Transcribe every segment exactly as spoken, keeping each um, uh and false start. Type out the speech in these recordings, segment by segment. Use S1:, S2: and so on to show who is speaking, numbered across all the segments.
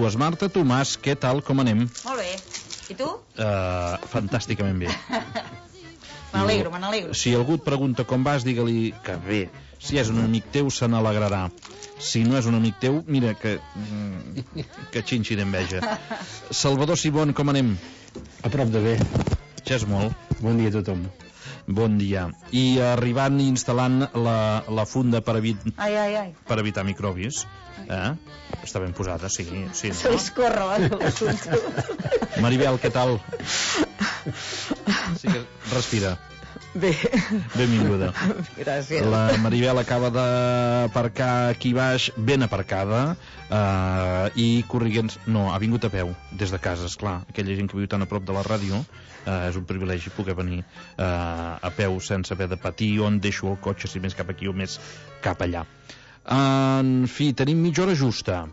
S1: dues. Marta, Tomàs, què tal, com anem?
S2: Molt bé. I tu?
S1: Uh, fantàsticament bé.
S2: Me n'alegro, me n'alegro.
S1: Si algú et pregunta com vas, digue-li que bé. Si és un amic teu, se n'alegrarà. Si no és un amic teu, mira que... que xinxi d'enveja. Salvador Sibon, com anem?
S3: A prop de bé.
S1: Ja és molt.
S3: Bon dia a tothom.
S1: Bon dia. I arribant i instal·lant la, la funda per, evit...
S2: ai, ai, ai.
S1: per evitar microbis. Eh? Està ben posada, sí. sí no?
S2: Se li escorre l'assumpte.
S1: Maribel, què tal? Sí que respira.
S4: Bé.
S1: Benvinguda.
S4: Gràcies.
S1: La Maribel acaba d'aparcar aquí baix, ben aparcada, eh, i corriguent... No, ha vingut a peu, des de casa, esclar. Aquella gent que viu tan a prop de la ràdio, eh, és un privilegi poder venir eh, a peu sense haver de patir on deixo el cotxe, si més cap aquí o més cap allà. En fi, tenim mitja hora justa,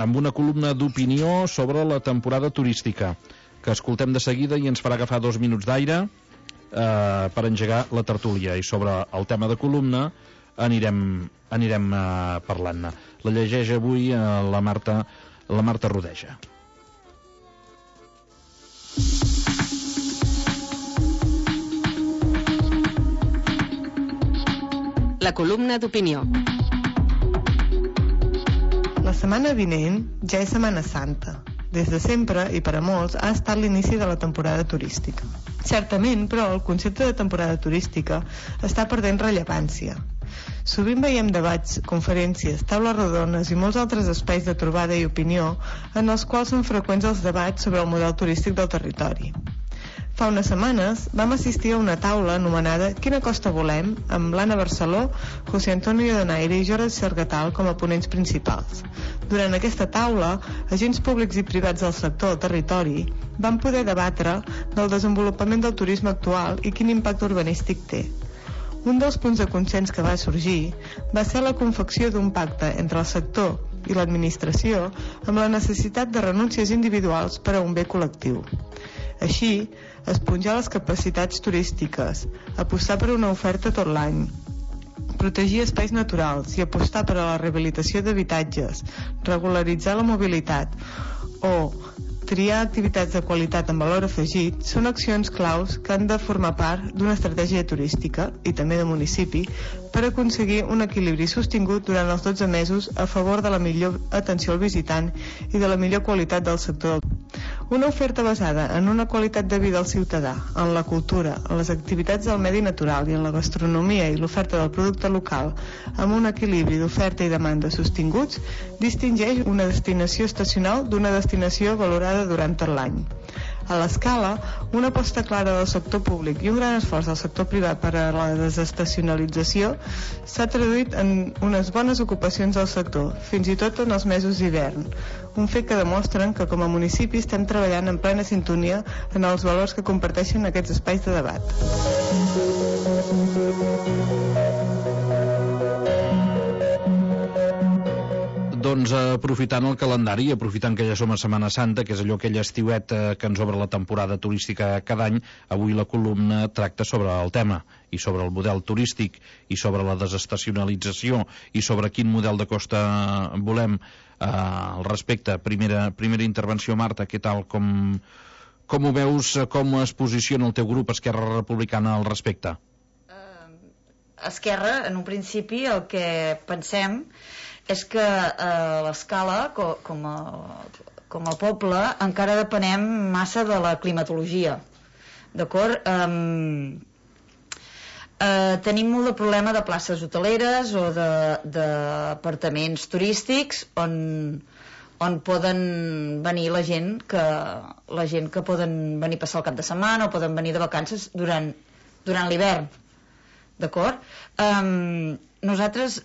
S1: amb una columna d'opinió sobre la temporada turística, que escoltem de seguida i ens farà agafar dos minuts d'aire eh, per engegar la tertúlia, i sobre el tema de columna anirem, anirem eh, parlant-ne. La llegeix avui eh, la Marta, la Marta Rodeja.
S5: La columna d'opinió.
S4: La setmana vinent ja és Setmana Santa. Des de sempre, i per a molts, ha estat l'inici de la temporada turística. Certament, però, el concepte de temporada turística està perdent rellevància. Sovint veiem debats, conferències, taules rodones i molts altres espais de trobada i opinió en els quals són freqüents els debats sobre el model turístic del territori. Fa unes setmanes vam assistir a una taula anomenada Quina costa volem?, amb l'Anna Barceló, José Antonio Donaire i Jordi Sergatal com a ponents principals. Durant aquesta taula, agents públics i privats del sector del territori van poder debatre del desenvolupament del turisme actual i quin impacte urbanístic té. Un dels punts de consens que va sorgir va ser la confecció d'un pacte entre el sector i l'administració amb la necessitat de renúncies individuals per a un bé col·lectiu. Així, esponjar les capacitats turístiques, apostar per una oferta tot l'any, protegir espais naturals i apostar per a la rehabilitació d'habitatges, regularitzar la mobilitat o triar activitats de qualitat amb valor afegit són accions claus que han de formar part d'una estratègia turística i també de municipi per aconseguir un equilibri sostingut durant els dotze mesos a favor de la millor atenció al visitant i de la millor qualitat del sector. Una oferta basada en una qualitat de vida al ciutadà, en la cultura, en les activitats del medi natural i en la gastronomia i l'oferta del producte local, amb un equilibri d'oferta i demanda sostinguts, distingeix una destinació estacional d'una destinació valorada durant tot l'any. A l'escala, una aposta clara del sector públic i un gran esforç del sector privat per a la desestacionalització s'ha traduït en unes bones ocupacions del sector, fins i tot en els mesos d'hivern, un fet que demostren que com a municipi estem treballant en plena sintonia en els valors que comparteixen aquests espais de debat.
S1: Doncs aprofitant el calendari, aprofitant que ja som a Setmana Santa, que és allò aquell estiuet eh, que ens obre la temporada turística cada any, avui la columna tracta sobre el tema, i sobre el model turístic, i sobre la desestacionalització, i sobre quin model de costa volem. Eh, al respecte, primera, primera intervenció, Marta, què tal? Com, com ho veus, com es posiciona el teu grup Esquerra Republicana al respecte?
S2: Uh, Esquerra, en un principi, el que pensem és que eh, l'escala, com, com, a, com a poble, encara depenem massa de la climatologia. D'acord? Um, eh, tenim molt de problema de places hoteleres o d'apartaments turístics on, on poden venir la gent que la gent que poden venir a passar el cap de setmana o poden venir de vacances durant, durant l'hivern. D'acord? Um, nosaltres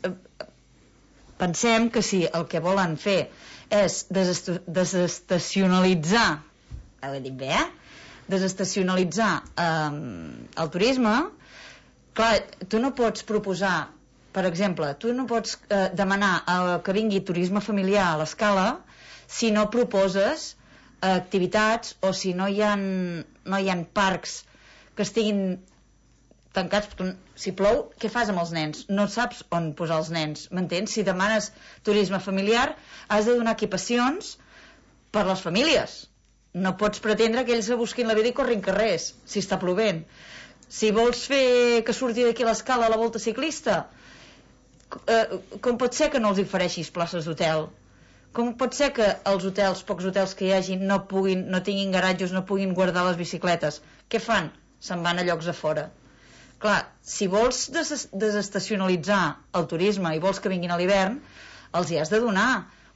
S2: pensem que si el que volen fer és desestacionalitzar, ho he dit bé, eh? desestacionalitzar eh, el turisme, clar, tu no pots proposar, per exemple, tu no pots eh, demanar eh, que vingui turisme familiar a l'escala si no proposes eh, activitats o si no hi ha, no hi ha parcs que estiguin tancats. Si plou, què fas amb els nens? No saps on posar els nens, m'entens? Si demanes turisme familiar, has de donar equipacions per les famílies. No pots pretendre que ells se busquin la vida i corrin carrers, si està plovent. Si vols fer que surti d'aquí l'escala a la volta ciclista, eh, com pot ser que no els ofereixis places d'hotel? Com pot ser que els hotels, pocs hotels que hi hagi, no, puguin, no tinguin garatges, no puguin guardar les bicicletes? Què fan? Se'n van a llocs a fora. Clar, si vols des desestacionalitzar el turisme i vols que vinguin a l'hivern, els hi has de donar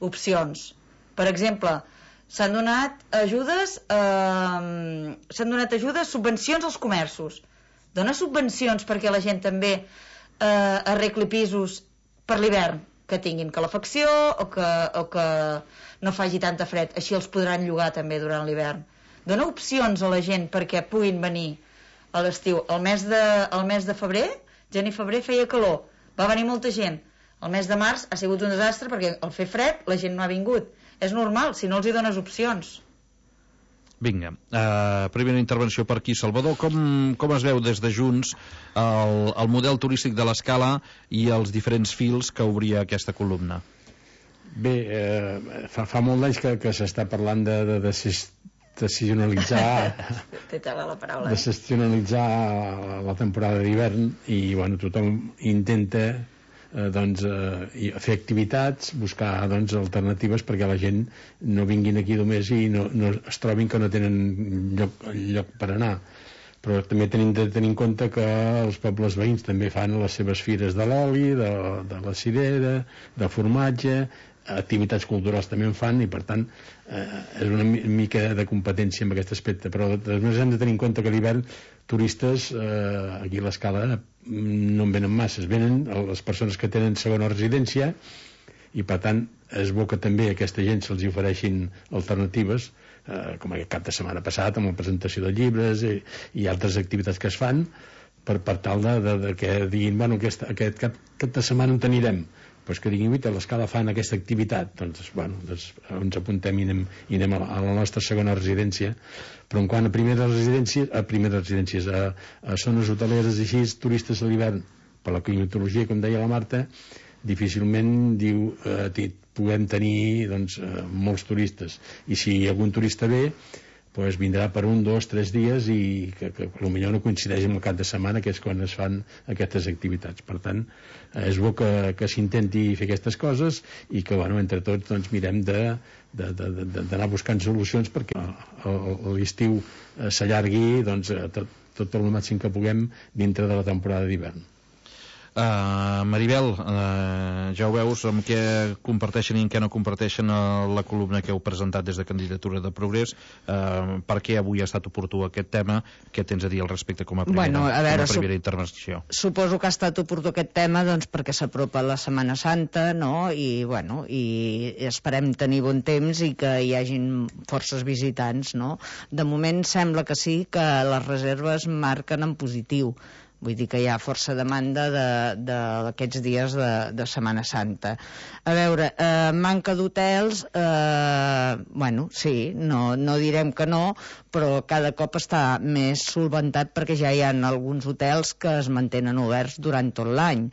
S2: opcions. Per exemple, s'han donat ajudes, eh, s'han donat ajudes, subvencions als comerços. Dona subvencions perquè la gent també eh, arregli pisos per l'hivern, que tinguin calefacció o que, o que no faci tanta fred, així els podran llogar també durant l'hivern. Dona opcions a la gent perquè puguin venir a l'estiu. El mes de, el mes de febrer, gener i febrer, feia calor, va venir molta gent. El mes de març ha sigut un desastre perquè al fer fred la gent no ha vingut. És normal, si no els hi dones opcions.
S1: Vinga, uh, primera intervenció per aquí. Salvador, com, com es veu des de Junts el, el model turístic de l'Escala i els diferents fils que obria aquesta columna?
S3: Bé, eh, fa, fa molt d'anys que, que s'està parlant de, de, de decisionalitzar
S2: Té tela la paraula,
S3: de decisionalitzar la temporada d'hivern i bueno, tothom intenta Eh, doncs, eh, fer activitats, buscar doncs, alternatives perquè la gent no vinguin aquí només i no, no es trobin que no tenen lloc, lloc per anar. Però també tenim de tenir en compte que els pobles veïns també fan les seves fires de l'oli, de, de la cirera, de formatge, activitats culturals també en fan i per tant eh, és una mica de competència en aquest aspecte, però després hem de tenir en compte que a l'hivern turistes eh, aquí a l'Escala no en venen masses, venen les persones que tenen segona residència i per tant és bo que també a aquesta gent se'ls ofereixin alternatives eh, com aquest cap de setmana passat amb la presentació de llibres i, i altres activitats que es fan per, per tal de, de, de que diguin bueno, aquest, aquest cap, cap de setmana on anirem pues que diguin, a l'Escala fan aquesta activitat, doncs, bueno, doncs ens apuntem i anem, i anem a, la, a la nostra segona residència. Però en quant a primeres residències, a primeres residències, a, a zones hoteleres i així, turistes a l'hivern, per la climatologia, com deia la Marta, difícilment diu, eh, puguem tenir doncs, eh, molts turistes. I si algun turista ve, pues vindrà per un, dos, tres dies i que, que potser no coincideix amb el cap de setmana, que és quan es fan aquestes activitats. Per tant, és bo que, que s'intenti fer aquestes coses i que, bueno, entre tots, doncs, mirem de, de, de, de, d'anar buscant solucions perquè l'estiu s'allargui doncs, tot, tot el màxim que puguem dintre de la temporada d'hivern.
S1: Uh, Maribel, uh, ja ho veus amb què comparteixen i en què no comparteixen uh, la columna que heu presentat des de Candidatura de Progrés. Uh, per què avui ha estat oportú aquest tema? Què tens a dir al respecte com a primera, bueno, a veure, com a primera su intervenció?
S6: Suposo que ha estat oportú aquest tema doncs, perquè s'apropa la Setmana Santa, no? I, bueno, i esperem tenir bon temps i que hi hagin forces visitants, no? De moment sembla que sí, que les reserves marquen en positiu. Vull dir que hi ha força demanda d'aquests de, de dies de, de Setmana Santa. A veure, eh, manca d'hotels, eh, bueno, sí, no, no direm que no, però cada cop està més solventat perquè ja hi ha alguns hotels que es mantenen oberts durant tot l'any.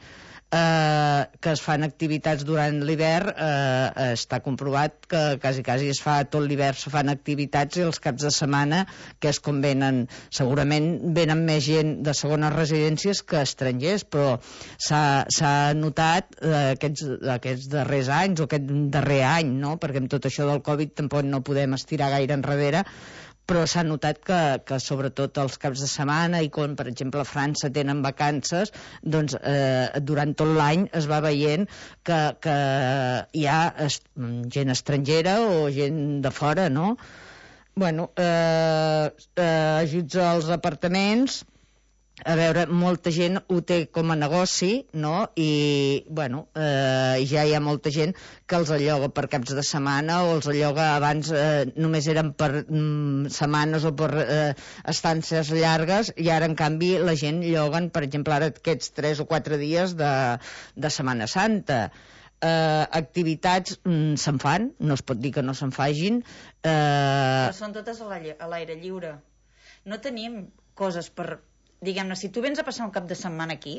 S6: Eh, que es fan activitats durant l'hivern, eh, està comprovat que quasi, quasi es fa tot l'hivern, se fan activitats i els caps de setmana, que és com venen, segurament venen més gent de segones residències que estrangers, però s'ha notat eh, aquests, aquests darrers anys o aquest darrer any, no? Perquè amb tot això del Covid tampoc no podem estirar gaire enrere, però s'ha notat que, que sobretot els caps de setmana i quan, per exemple, a França tenen vacances, doncs eh, durant tot l'any es va veient que, que hi ha est gent estrangera o gent de fora, no? Bueno, eh, eh, ajuts als apartaments, a veure, molta gent ho té com a negoci, no? I, bueno, eh, ja hi ha molta gent que els alloga per caps de setmana o els alloga abans, eh, només eren per mm, setmanes o per eh, estàncies llargues i ara, en canvi, la gent lloguen, per exemple, ara aquests tres o quatre dies de, de Setmana Santa. Eh, activitats mm, se'n fan, no es pot dir que no se'n fagin. Eh...
S2: Però són totes a l'aire lliure. No tenim coses per... Diguem-ne, si tu vens a passar un cap de setmana aquí,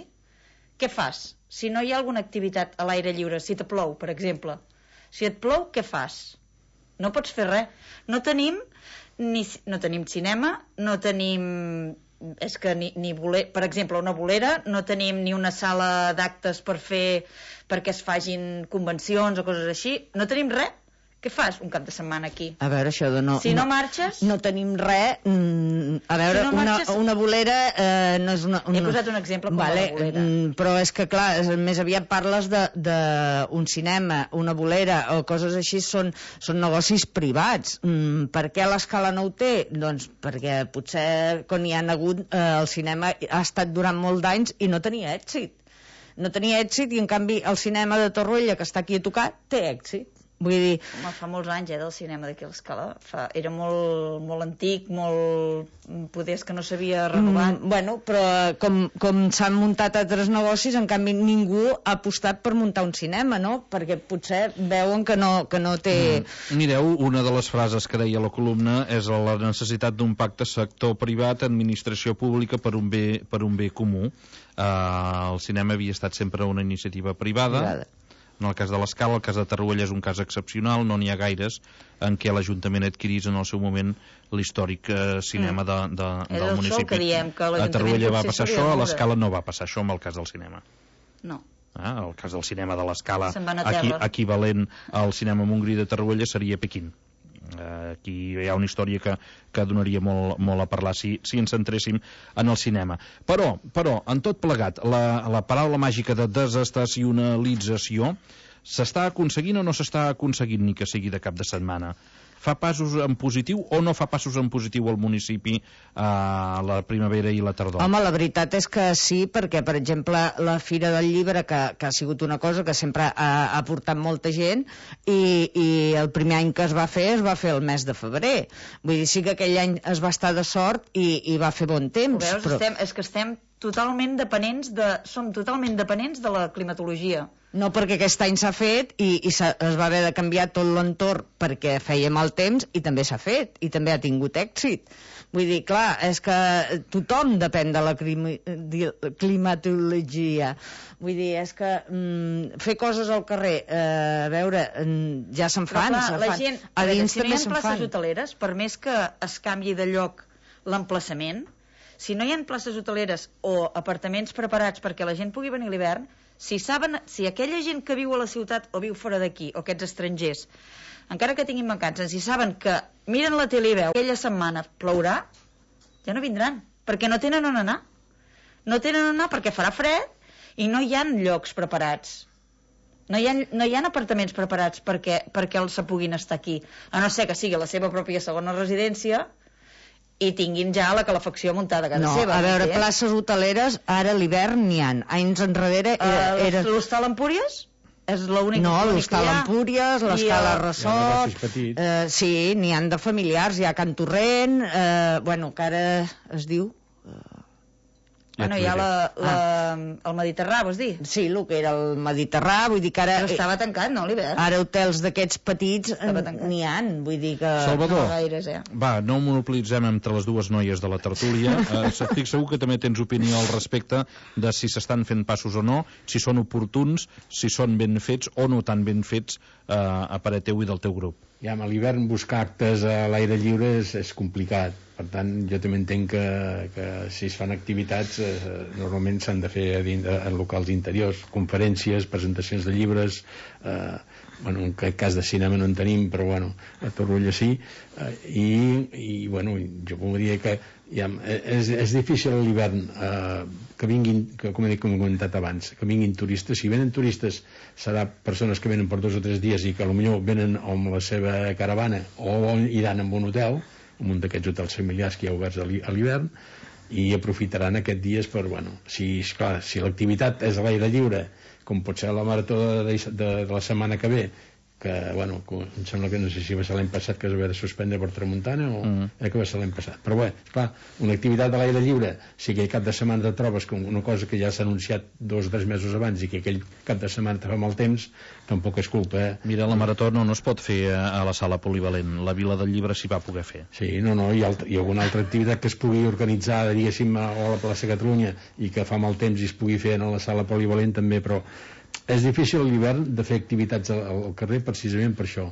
S2: què fas? Si no hi ha alguna activitat a l'aire lliure, si te plou, per exemple. Si et plou, què fas? no pots fer res. No tenim, ni, no tenim cinema, no tenim... És que ni, ni boler, per exemple, una bolera, no tenim ni una sala d'actes per fer, perquè es fagin convencions o coses així. No tenim res. Què fas un cap de setmana aquí?
S6: A veure, això de no...
S2: Si no, no marxes...
S6: No tenim res... Mm, a veure, si no marxes, una, una bolera eh, no és una, una...
S2: He posat un exemple com
S6: vale,
S2: una bolera.
S6: Mm, però és que, clar, és, més aviat parles d'un cinema, una bolera o coses així, són, són negocis privats. Mm, per què l'Escala no ho té? Doncs perquè potser quan hi ha hagut eh, el cinema ha estat durant molts d'anys i no tenia èxit. No tenia èxit i, en canvi, el cinema de Torroella, que està aquí a tocar, té èxit. Vull dir...
S2: Home, fa molts anys, eh, del cinema d'aquí a l'Escala. Fa... Era molt, molt antic, molt... Poders que no s'havia renovat.
S6: Mm, bueno, però com, com s'han muntat altres negocis, en canvi ningú ha apostat per muntar un cinema, no? Perquè potser veuen que no, que no té...
S1: Mm. Mireu, una de les frases que deia la columna és la necessitat d'un pacte sector privat, administració pública per un bé, per un bé comú. Uh, el cinema havia estat sempre una iniciativa privada. privada. En el cas de l'Escala, el cas de Torroella és un cas excepcional, no n'hi ha gaires en què l'Ajuntament adquirís en el seu moment l'històric eh, cinema de, de, del municipi.
S2: Que diem, que
S1: a Torroella va passar això, a l'Escala no va passar això amb el cas del cinema.
S2: No.
S1: Ah, el cas del cinema de l'Escala, equi, equivalent al cinema Montgrí de Torroella, seria Pequín. Uh, aquí hi ha una història que, que donaria molt, molt a parlar si, si ens centréssim en el cinema. Però, però en tot plegat, la, la paraula màgica de desestacionalització s'està aconseguint o no s'està aconseguint ni que sigui de cap de setmana? Fa passos en positiu o no fa passos en positiu al municipi a la primavera i la tardor?
S6: Home, la veritat és que sí, perquè, per exemple, la Fira del Llibre, que, que ha sigut una cosa que sempre ha, ha portat molta gent, i, i el primer any que es va fer, es va fer el mes de febrer. Vull dir, sí que aquell any es va estar de sort i, i va fer bon temps.
S2: Ho veus?
S6: Però...
S2: Estem, és que estem totalment dependents de... Som totalment dependents de la climatologia.
S6: No, perquè aquest any s'ha fet i, i es va haver de canviar tot l'entorn perquè feia mal temps i també s'ha fet i també ha tingut èxit. Vull dir, clar, és que tothom depèn de la climatologia. Vull dir, és que mm, fer coses al carrer, eh, a veure, mm, ja se'n fan,
S2: clar,
S6: se'n
S2: la
S6: fan.
S2: Gent,
S6: a dins
S2: si
S6: també
S2: no hi ha
S6: se'n
S2: places
S6: fan.
S2: hoteleres, per més que es canvi de lloc l'emplaçament, si no hi ha places hoteleres o apartaments preparats perquè la gent pugui venir a l'hivern, si saben, si aquella gent que viu a la ciutat o viu fora d'aquí, o aquests estrangers, encara que tinguin vacances, si saben que miren la tele i veu aquella setmana plourà, ja no vindran, perquè no tenen on anar. No tenen on anar perquè farà fred i no hi ha llocs preparats. No hi ha, no hi ha apartaments preparats perquè, perquè els se puguin estar aquí, a no ser que sigui la seva pròpia segona residència i tinguin ja la calefacció muntada a casa
S6: no,
S2: seva.
S6: A veure, eh? Places hoteleres, ara a l'hivern n'hi ha. Anys enrere... Era,
S2: uh,
S6: era...
S2: L'Hostal Empúries? És l'únic
S6: no,
S2: que
S6: l'Hostal Empúries, l'Escala
S2: el...
S6: Ressort... Eh, sí, n'hi han de familiars. Hi ha Can Torrent, eh, bueno, que ara es diu... Eh...
S2: Bueno, hi ha la, la, ah. el Mediterrà, vols dir?
S6: Sí, el que era el Mediterrà, vull dir que ara...
S2: Però estava tancat, no, l'hivern?
S6: Ara hotels d'aquests petits n'hi ha, vull dir que...
S1: Salvador,
S2: no gaires, eh?
S1: va, no monopolitzem entre les dues noies de la tertúlia. Eh, estic segur que també tens opinió al respecte de si s'estan fent passos o no, si són oportuns, si són ben fets o no tan ben fets eh, a parer teu i del teu grup.
S3: Ja, a l'hivern buscar actes a l'aire lliure és, és complicat. Per tant, jo també entenc que, que si es fan activitats eh, normalment s'han de fer en, en locals interiors, conferències, presentacions de llibres, eh, bueno, en aquest cas de cinema no en tenim, però bueno, a Torroella sí, eh, i, i bueno, jo podria que ja, és, és difícil a l'hivern eh, que vinguin, que, com he dit, com he comentat abans, que vinguin turistes. Si venen turistes serà persones que venen per dos o tres dies i que potser venen amb la seva caravana o iran en un hotel, en un d'aquests hotels familiars que hi ha oberts a l'hivern, i aprofitaran aquests dies per, bueno, si, esclar, si l'activitat és a l'aire lliure, com pot ser la marató de, de, de, de la setmana que ve, que, bueno, em sembla que no sé si va ser l'any passat que es va haver de suspendre per tramuntana o mm. eh, que va ser l'any passat, però bé, esclar, una activitat a l'aire lliure, si aquell cap de setmana te trobes com una cosa que ja s'ha anunciat dos o tres mesos abans i que aquell cap de setmana te fa mal temps, tampoc és culpa, eh?
S1: Mira, la marató no, no es pot fer a la sala polivalent, la Vila del Llibre s'hi va poder fer.
S3: Sí, no, no, hi ha, hi ha alguna altra activitat que es pugui organitzar, diguéssim, a la plaça Catalunya i que fa mal temps i es pugui fer a la sala polivalent també, però és difícil a l'hivern de fer activitats al, al carrer precisament per això,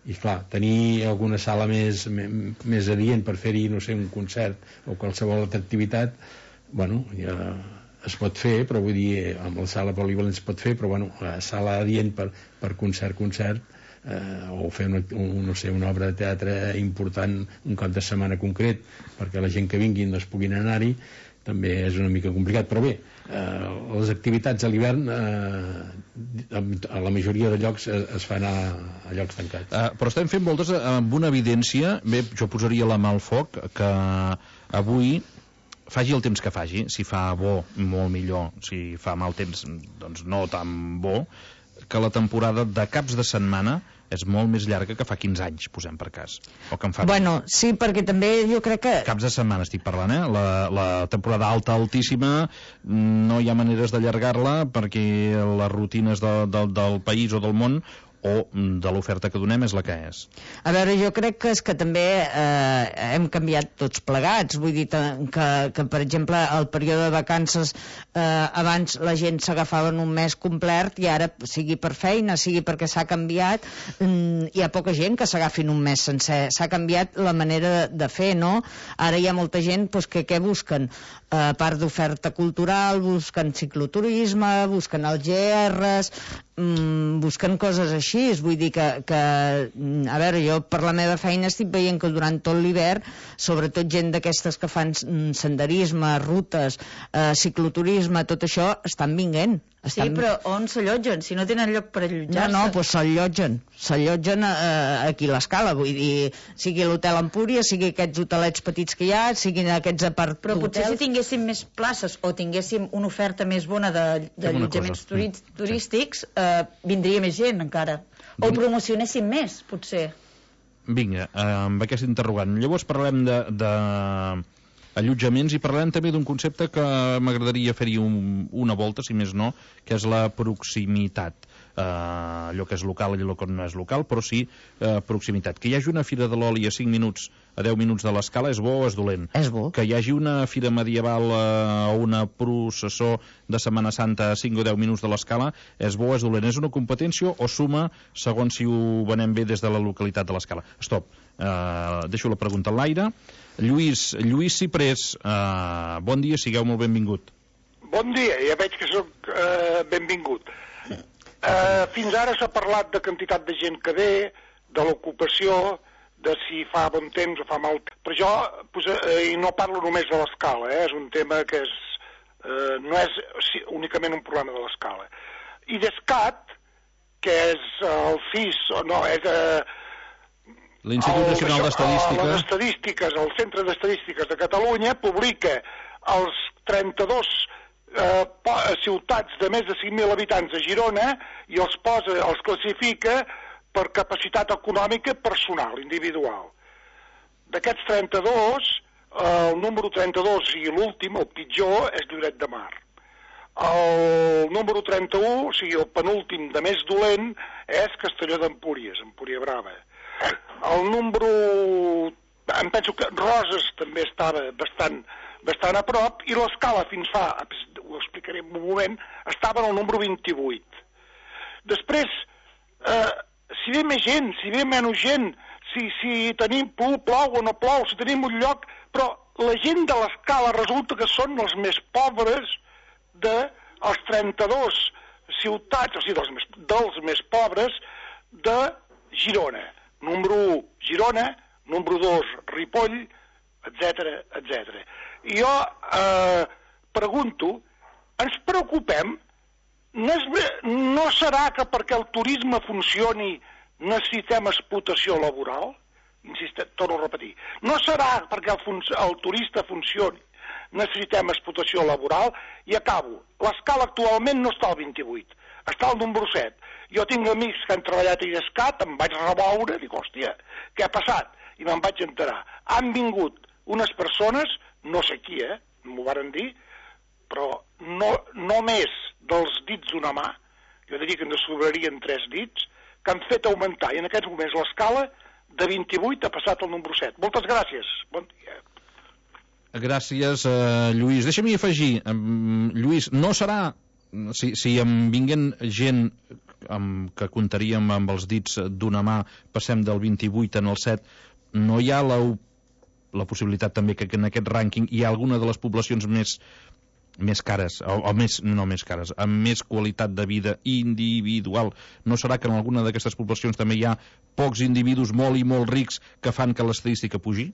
S3: i clar, tenir alguna sala més, més adient per fer-hi, no sé, un concert o qualsevol altra activitat, bueno, ja es pot fer, però vull dir, amb la sala polivalent es pot fer, però bueno, la sala adient per, per concert, concert, eh, o fer una, un, no sé, una obra de teatre important un cap de setmana concret, perquè la gent que vinguin doncs puguin anar-hi, també és una mica complicat, però bé, eh, les activitats a l'hivern eh, a la majoria de llocs es, es fan a, a llocs tancats.
S1: Uh, però estem fent moltes amb una evidència, bé, jo posaria la mà al foc, que avui, faci el temps que faci, si fa bo, molt millor, si fa mal temps, doncs no tan bo, que la temporada de caps de setmana és molt més llarga que fa quinze anys, posem per cas. O que en fa...
S6: Bueno, sí, perquè també jo crec que...
S1: Caps de setmana estic parlant, eh? La, la temporada alta, altíssima, no hi ha maneres d'allargar-la perquè les rutines de, de, del país o del món o de l'oferta que donem és la que és.
S6: A veure, jo crec que és que també eh, hem canviat tots plegats, vull dir que, que per exemple, el període de vacances eh, abans la gent s'agafava en un mes complet i ara, sigui per feina, sigui perquè s'ha canviat, mm, hi ha poca gent que s'agafin un mes sencer, s'ha canviat la manera de, de fer, no? Ara hi ha molta gent pues, que què busquen? A part d'oferta cultural, busquen cicloturisme, busquen els G Rs, mm, busquen coses així. Vull dir que, que, a veure, jo per la meva feina estic veient que durant tot l'hivern, sobretot gent d'aquestes que fan senderisme, rutes, eh, cicloturisme, tot això, estan vinguent. Estan...
S2: Sí, però on s'allotgen? Si no tenen lloc per allotjar-se.
S6: No, no, doncs s'allotgen. S'allotgen eh, aquí a l'Escala, vull dir, sigui l'hotel Empúria, sigui aquests hotelets petits que hi ha, siguin aquests apart
S2: Però potser si tinguéssim més places o tinguéssim una oferta més bona d'allotjaments de, de turístics, eh, vindria més gent encara. O ho promocionéssim més, potser.
S1: Vinga, eh, amb aquest interrogant. Llavors parlem de, de allotjaments i parlem també d'un concepte que m'agradaria fer-hi un, una volta, si més no, que és la proximitat. Uh, allò que és local i allò que no és local, però sí uh, proximitat. Que hi hagi una fira de l'oli a cinc minuts, a deu minuts de l'Escala és bo o és dolent?
S6: És bo.
S1: Que hi hagi una fira medieval uh, o una processó de Setmana Santa a cinc o deu minuts de l'Escala és bo o és dolent? És una competència o suma segons si ho venem bé des de la localitat de l'Escala? Stop, uh, deixo la pregunta en l'aire. Lluís, Lluís Ciprés, uh, bon dia, sigueu molt benvingut.
S7: Bon dia, ja veig que sóc uh, benvingut. Uh, fins ara s'ha parlat de quantitat de gent que ve, de l'ocupació, de si fa bon temps o fa mal temps. Però jo, pues, uh, i no parlo només de l'Escala, eh? És un tema que és, uh, no és sí, únicament un problema de l'Escala. I d'Escat, que és el C I S, o no, és... Uh,
S1: l'Institut Nacional d'Estadística.
S7: Les estadístiques, el Centre d'Estadístiques de Catalunya publica els trenta-dos Eh, ciutats de més de cinc mil habitants a Girona i els posa, els classifica per capacitat econòmica personal, individual. D'aquests trenta-dos, eh, el número trenta-dos i l'últim, el pitjor, és Lloret de Mar. El número trenta-u, o sigui, el penúltim de més dolent, és Castelló d'Empúries, Empúria Brava. El número... Em penso que Roses també estava bastant... bastant a prop, i l'Escala fins fa, ho explicaré en un moment, estava en el número vint-i-vuit. Després, eh, si ve més gent, si ve menys gent, si, si tenim plou, plou o no plou, si tenim un lloc, però la gent de l'Escala resulta que són els més pobres dels trenta-dos ciutats, o sigui, dels més, dels més pobres de Girona. Número u, Girona, número dos, Ripoll, etcètera, etcètera. I jo eh, pregunto, ens preocupem? No, és, no serà que perquè el turisme funcioni necessitem explotació laboral? Insistem, torno a repetir. No serà perquè el, fun el turista funcioni necessitem explotació laboral? I acabo. L'Escala actualment no està al vint-i-vuit, està al número set. Jo tinc amics que han treballat a IDESCAT, em vaig reveure, dic, hòstia, què ha passat? I me'n vaig enterar. Han vingut unes persones, no sé qui, eh, m'ho varen dir, però no, no més dels dits d'una mà, jo diria que ens sobrarien tres dits, que han fet augmentar, i en aquests moments l'Escala de vint-i-vuit ha passat al número set. Moltes gràcies. Bon dia.
S1: Gràcies, uh, Lluís. Deixa'm-hi afegir, um, Lluís, no serà si, si em vinguen gent amb, que comptaríem amb els dits d'una mà, passem del vint-i-vuit en el set, no hi ha la, la possibilitat també que en aquest rànquing hi ha alguna de les poblacions més, més cares, o, o més, no més cares, amb més qualitat de vida individual? No serà que en alguna d'aquestes poblacions també hi ha pocs individus molt i molt rics que fan que l'estadística pugi?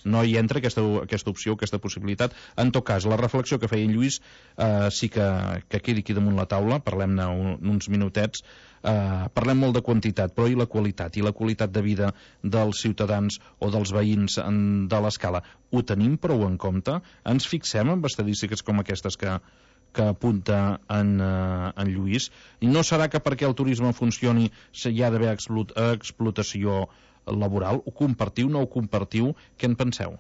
S1: No hi entra aquesta, aquesta opció, aquesta possibilitat. En tot cas, la reflexió que feia en Lluís eh, sí que, que quedi aquí damunt la taula, parlem-ne un, uns minutets. Eh, parlem molt de quantitat, però i la qualitat? I la qualitat de vida dels ciutadans o dels veïns en, de l'escala? Ho tenim prou en compte? Ens fixem en estadístiques com aquestes que, que apunta en, eh, en Lluís? I no serà que perquè el turisme funcioni hi ha d'haver explot, explotació laboral? Ho compartiu, no ho compartiu? Què en penseu?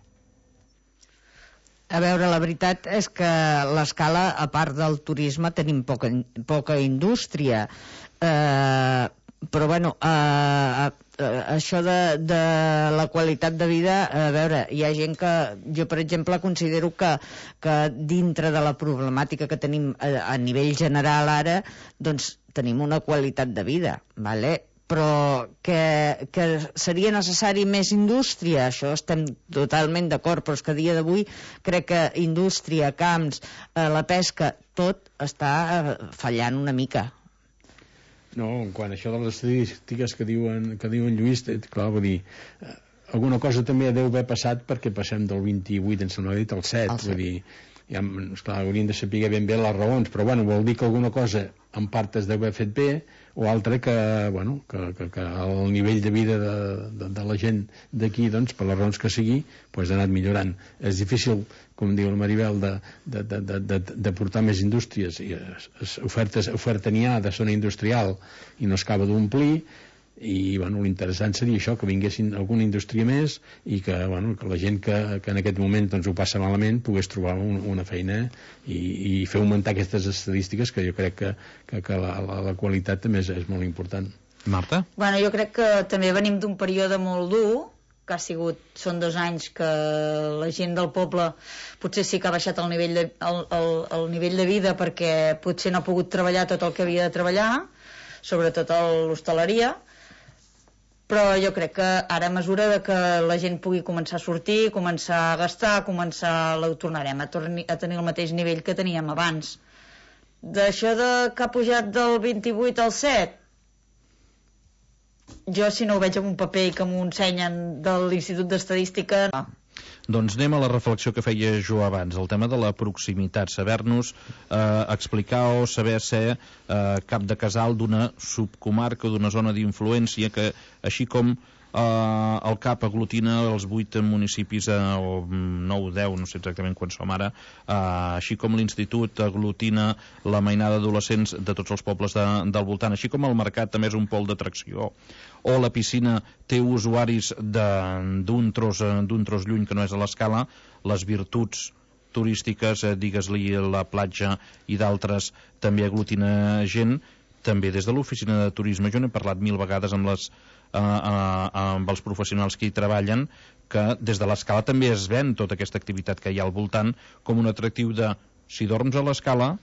S6: A veure, la veritat és que a l'Escala, a part del turisme, tenim poca, poca indústria. Eh, però, bueno, eh, eh, això de, de la qualitat de vida, a veure, hi ha gent que... Jo, per exemple, considero que, que dintre de la problemàtica que tenim a, a nivell general ara, doncs tenim una qualitat de vida, vale? Però que, que seria necessari més indústria, això estem totalment d'acord, però és que a dia d'avui crec que indústria, camps, eh, la pesca, tot està eh, fallant una mica.
S3: No, quan això de les estadístiques que diuen, que diuen Lluís, clar, vull dir, eh, alguna cosa també deu haver passat perquè passem del vint-i-vuit, em sembla dit, al set, vull dir, ja, esclar, hauríem de saber ben bé les raons, però bueno, vol dir que alguna cosa en part es deu haver fet bé, o altra que, bueno, que, que, que el nivell de vida de, de, de la gent d'aquí, doncs, per les raons que sigui, pues, ha anat millorant. És difícil, com diu el Maribel, de, de, de, de, de, de portar més indústries, i ofertes, oferta n'hi ha de zona industrial i no es acaba d'omplir, i bueno, l'interessant seria això, que vinguessin alguna indústria més i que, bueno, que la gent que, que en aquest moment doncs, ho passa malament pogués trobar un, una feina i, i fer augmentar aquestes estadístiques, que jo crec que, que, que la, la, la qualitat també és, és molt important.
S1: Marta?
S2: Bueno, jo crec que també venim d'un període molt dur, que ha sigut, són dos anys que la gent del poble potser sí que ha baixat el nivell de, el, el, el nivell de vida perquè potser no ha pogut treballar tot el que havia de treballar, sobretot a l'hostaleria, però jo crec que ara a mesura de que la gent pugui començar a sortir, començar a gastar, començar, ho tornarem a, torni, a tenir el mateix nivell que teníem abans. D'això de que ha pujat del vint-i-vuit al set, jo si no ho veig en un paper i que m'ho ensenyen de l'Institut d'Estadística, no.
S1: Doncs anem a la reflexió que feia jo abans, el tema de la proximitat, saber-nos eh, explicar o saber ser eh, cap de casal d'una subcomarca o d'una zona d'influència que, així com eh, el C A P aglutina els vuit municipis, eh, o nou o deu, no sé exactament quan som ara, eh, així com l'Institut aglutina la mainada d'adolescents de tots els pobles de, del voltant, així com el mercat també és un pol d'atracció, o la piscina té usuaris d'un tros, d'un tros lluny que no és a l'Escala, les virtuts turístiques, eh, digues-li la platja i d'altres, també aglutina gent, també des de l'oficina de turisme. Jo n'he parlat mil vegades amb, les, eh, eh, amb els professionals que hi treballen, que des de l'Escala també es ven tota aquesta activitat que hi ha al voltant com un atractiu de, si dorms a l'Escala,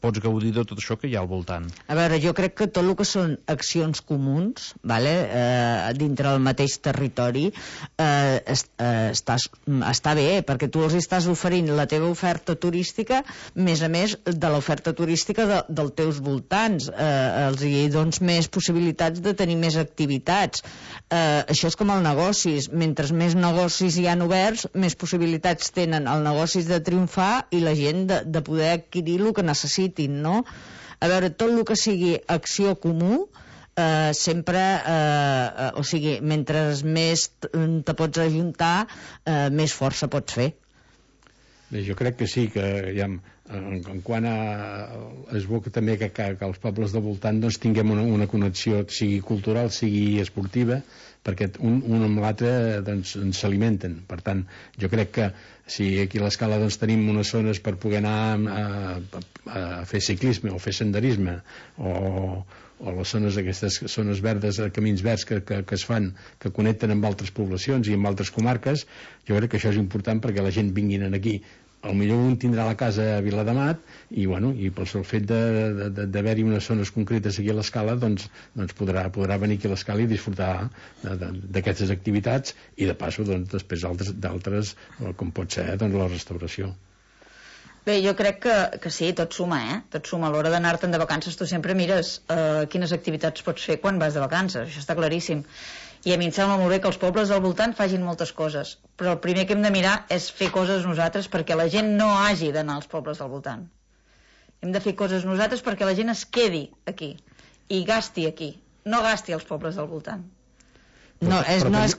S1: pots gaudir de tot això que hi ha al voltant.
S6: A veure, jo crec que tot el que són accions comuns, vale, eh, dintre del mateix territori, eh, est, eh, està, està bé, perquè tu els estàs oferint la teva oferta turística, més a més de l'oferta turística de, dels teus voltants. Eh, els hi dones més possibilitats de tenir més activitats. Eh, això és com els negocis. Mentre més negocis hi han oberts, més possibilitats tenen els negocis de triomfar i la gent de, de poder adquirir el que necessita. No? A veure, tot el que sigui acció comú, eh, sempre, eh, o sigui, mentre més te pots ajuntar, eh, més força pots fer.
S3: Bé, jo crec que sí, que ja, en, en quant a... és bo que també que, que, que els pobles del voltant doncs, tinguem una, una connexió, sigui cultural, sigui esportiva, perquè un, un amb l'altre doncs, ens s'alimenten. Per tant, jo crec que si aquí a l'Escala doncs, tenim unes zones per poder anar a, a, a fer ciclisme o fer senderisme o, o les zones, aquestes zones verdes, camins verds que, que, que es fan, que connecten amb altres poblacions i amb altres comarques, jo crec que això és important perquè la gent vinguin aquí potser un tindrà la casa a Viladamat i, bueno, i pel sol fet d'haver-hi unes zones concretes aquí a l'Escala, doncs, doncs podrà, podrà venir aquí a l'Escala i disfrutar d'aquestes activitats i de passo doncs, després d'altres, com pot ser doncs, la restauració.
S2: Bé, jo crec que, que sí, tot suma, eh? Tot suma. A l'hora d'anar-te'n de vacances tu sempre mires eh, quines activitats pots fer quan vas de vacances, això està claríssim. I a mi em sembla molt bé que els pobles del voltant facin moltes coses, però el primer que hem de mirar és fer coses nosaltres perquè la gent no hagi d'anar als pobles del voltant. Hem de fer coses nosaltres perquè la gent es quedi aquí i gasti aquí, no gasti als pobles del voltant.
S6: No és, no, és,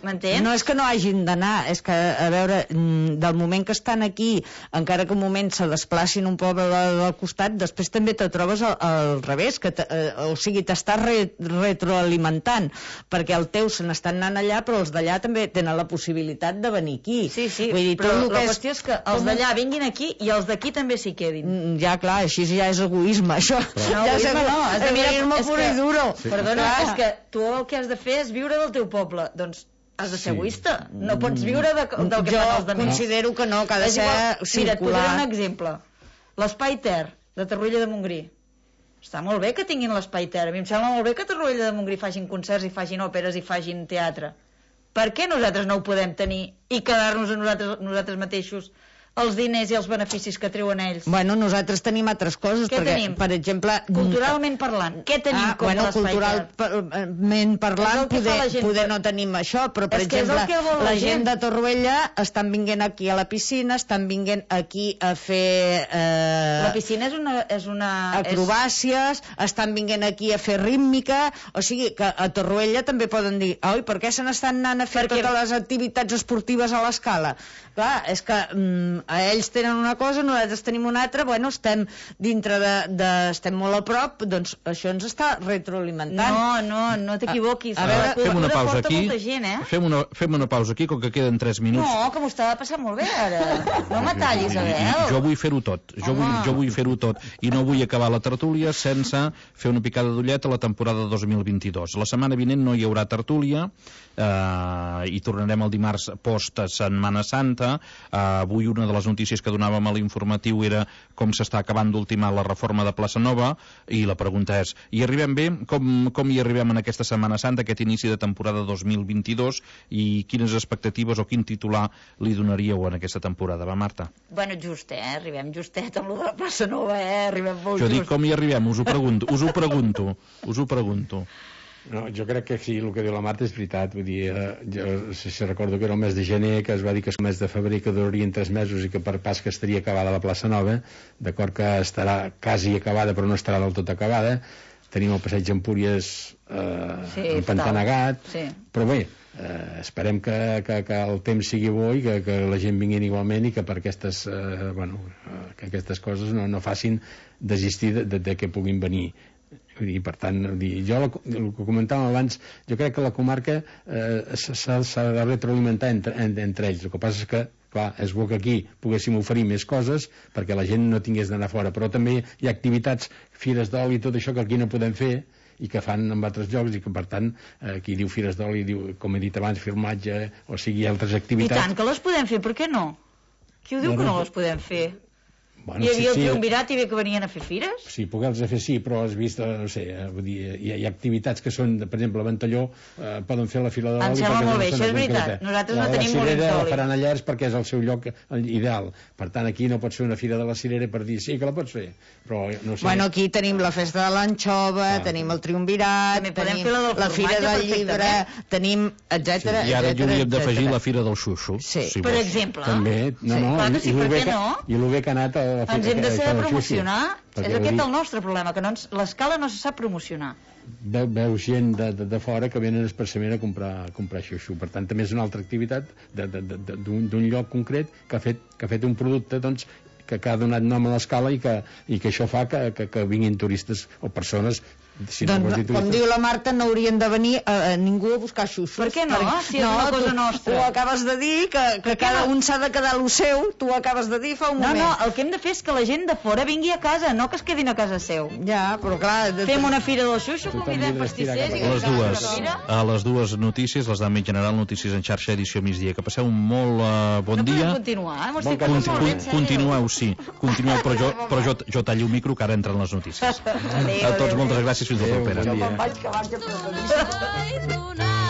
S6: no és que no hagin d'anar, és que, a veure, del moment que estan aquí, encara que un moment se desplacin un poble del costat, després també te trobes al, al revés, que te, eh, o sigui, t'estàs re, retroalimentant, perquè el teu se n'estan anant allà, però els d'allà també tenen la possibilitat de venir aquí.
S2: Sí, sí,
S6: vull dir,
S2: però
S6: tot
S2: la
S6: és...
S2: qüestió és que els d'allà vinguin aquí i els d'aquí també s'hi quedin.
S6: Ja, clar, així ja és egoisme, això.
S2: Però no,
S6: ja
S2: egoisme no, has de mirar...
S6: Egoisme pur i duro.
S2: Sí. Perdona, clar. És que tu el que has de fer és viure del teu poble. Doncs has de ser sí. egoista, no pots viure de, del que
S6: jo
S2: fan els altres.
S6: Jo considero que no, que ha de ser
S2: igual,
S6: circular.
S2: Mira, et posaré un exemple. L'Espai Ter, de Torroella de Montgrí. Està molt bé que tinguin l'Espai Ter. A mi em sembla molt bé que a Torroella de Montgrí facin concerts i facin òperes i facin teatre. Per què nosaltres no ho podem tenir i quedar-nos a nosaltres, nosaltres mateixos els diners i els beneficis que treuen ells?
S6: Bueno, nosaltres tenim altres coses.
S2: Què
S6: perquè,
S2: tenim?
S6: Per exemple...
S2: Culturalment parlant, què tenim
S6: ah,
S2: com
S6: bueno,
S2: l'Espai Ter?
S6: Culturalment parlant, poder, poder no tenim això, però per
S2: és
S6: exemple,
S2: la,
S6: la gent de Torroella estan vinguent aquí a la piscina, estan vinguent aquí a fer... Eh,
S2: la piscina és una... És una
S6: acrobàcies, és... estan vinguent aquí a fer rítmica, o sigui que a Torroella també poden dir, oi, per què se n'estan anant a fer Perquè... totes les activitats esportives a l'Escala? Clar, és que mm, a ells tenen una cosa, nosaltres tenim una altra, bueno, estem dintre de, de estem molt a prop, doncs això ens està retroalimentant.
S2: No, no, no t'equivoquis.
S1: A, a veure, fem una pausa aquí.
S2: Gent, eh?
S1: Fem una, fem una pausa aquí, com que queden tres minuts.
S2: No, que m'ho estava passant molt bé, ara. No m'atallis, Abel.
S1: Jo vull fer-ho tot. Jo vull, jo vull fer-ho tot. I no vull acabar la tertúlia sense fer una picada d'ullet a la temporada dos mil vint-i-dos. La setmana vinent no hi haurà tertúlia, eh, i tornarem el dimarts post Setmana Santa. Eh, avui una de les notícies que donàvem a l'informatiu era com s'està acabant d'ultimar la reforma de Plaça Nova, i la pregunta és, hi arribem bé? Com, com hi arribem en aquesta Setmana Santa, aquest inici de temporada dos mil vint-i-dos, i quines expectatives o quin titular li donaríeu en aquesta temporada? Va, Marta?
S2: Bueno, just, eh? Arribem justet amb lo de la Plaça Nova, eh? Arribem molt
S1: jo
S2: just.
S1: Jo dic com hi arribem, us ho pregunto, us ho pregunto, us ho pregunto.
S3: No, jo crec que sí, el que diu la Marta és veritat. Vull dir, eh, jo si, si recordo que era el mes de gener, que es va dir que el mes de febrer que durarien tres mesos i que per pas que estaria acabada la Plaça Nova, d'acord que estarà quasi acabada però no estarà del tot acabada. Tenim el passeig Empúries eh,
S2: sí,
S3: empantanegat,
S2: sí.
S3: Però bé, eh, esperem que, que, que el temps sigui bo i que, que la gent vingui igualment i que per aquestes, eh, bueno, eh, que aquestes coses no, no facin desistir de, de, de que puguin venir. I per tant, jo el que comentàvem abans, jo crec que la comarca eh, s'ha de retroalimentar entre, entre ells. El que passa és que, clar, és bo que aquí poguéssim oferir més coses perquè la gent no tingués d'anar fora, però també hi ha activitats, fires d'oli i tot això que aquí no podem fer i que fan en altres llocs i que per tant aquí diu fires d'oli, diu, com he dit abans, filmatge, o sigui, altres activitats.
S2: I tant que les podem fer, per què no? Qui ho diu que no les podem fer?
S3: Bueno,
S2: hi havia
S3: sí,
S2: el triumvirat i bé que venien a fer fires?
S3: Sí, poder-los fer sí, però has vist, no sé, vull dir, hi, ha, hi ha activitats que són, per exemple, a Ventalló eh, poden fer la fila de l'oli.
S2: Em sembla molt bé, això és veritat. Nosaltres no tenim molins d'oli.
S3: La cirera la faran allà perquè és el seu lloc ideal. Per tant, aquí no pots fer una fira de la cirera per dir sí que la pots fer, però no sé.
S6: Bueno, aquí tenim la festa de l'anxova, ah, tenim el triumvirat, tenim la, la fira del llibre, tenim, etcètera.
S1: Sí, I ara hi hauríem d'afegir la fira del xuxo.
S6: Sí.
S1: Si
S2: per exemple.
S3: També, no,
S2: sí.
S3: no,
S2: Clar que sí, per què no?
S3: I el bé que ha anat a la fira.
S2: Ens hem de saber promocionar.
S3: Perquè
S2: és aquest
S3: dir...
S2: el nostre problema, que no ens... l'Escala no se sap promocionar.
S3: Veu, veu gent de, de, de fora que venen expressament a comprar, a comprar xuxo. Per tant, també és una altra activitat d'un lloc concret que ha fet, que ha fet un producte doncs, que, que ha donat nom a l'Escala i que, i que això fa que, que, que vinguin turistes o persones Si no
S6: doncs,
S3: vols dir
S6: com
S3: Twitter.
S6: diu la Marta, no haurien de venir eh, ningú a buscar xuxos.
S2: Per què no?
S6: Perquè-
S2: Si és una cosa
S6: tu,
S2: nostra.
S6: Ho acabes de dir, que, que cada
S2: no?
S6: un s'ha de quedar lo seu, tu ho acabes de dir fa un
S2: No,
S6: moment.
S2: no, el que hem de fer és que la gent de fora vingui a casa, no que es quedin a casa seu.
S6: Ja, però clar... De...
S2: Fem una fira del xuxo,
S3: Tothom
S2: convidem
S3: havia d'estirar
S2: pastissers...
S3: cap
S2: i
S3: a
S1: Les
S2: que
S1: dues,
S2: fem una fira.
S1: a les dues notícies, les d'àmbit general, notícies en xarxa, edició migdia. Que passeu un molt uh, bon
S2: No
S1: dia.
S2: podem continuar, eh? M'ho
S3: Bon
S2: estic
S3: cap de
S2: passant molt bé, en
S1: Con-
S2: sèrio.
S1: continueu, sí, continueu, però jo, però jo, jo tallo el micro que ara entren les notícies.
S2: Adéu,
S1: A tots
S2: adéu.
S1: moltes gràcies, fins la
S3: Adéu,
S1: propera.
S3: bon dia.
S6: Vaig que vaig a...
S8: Tonight.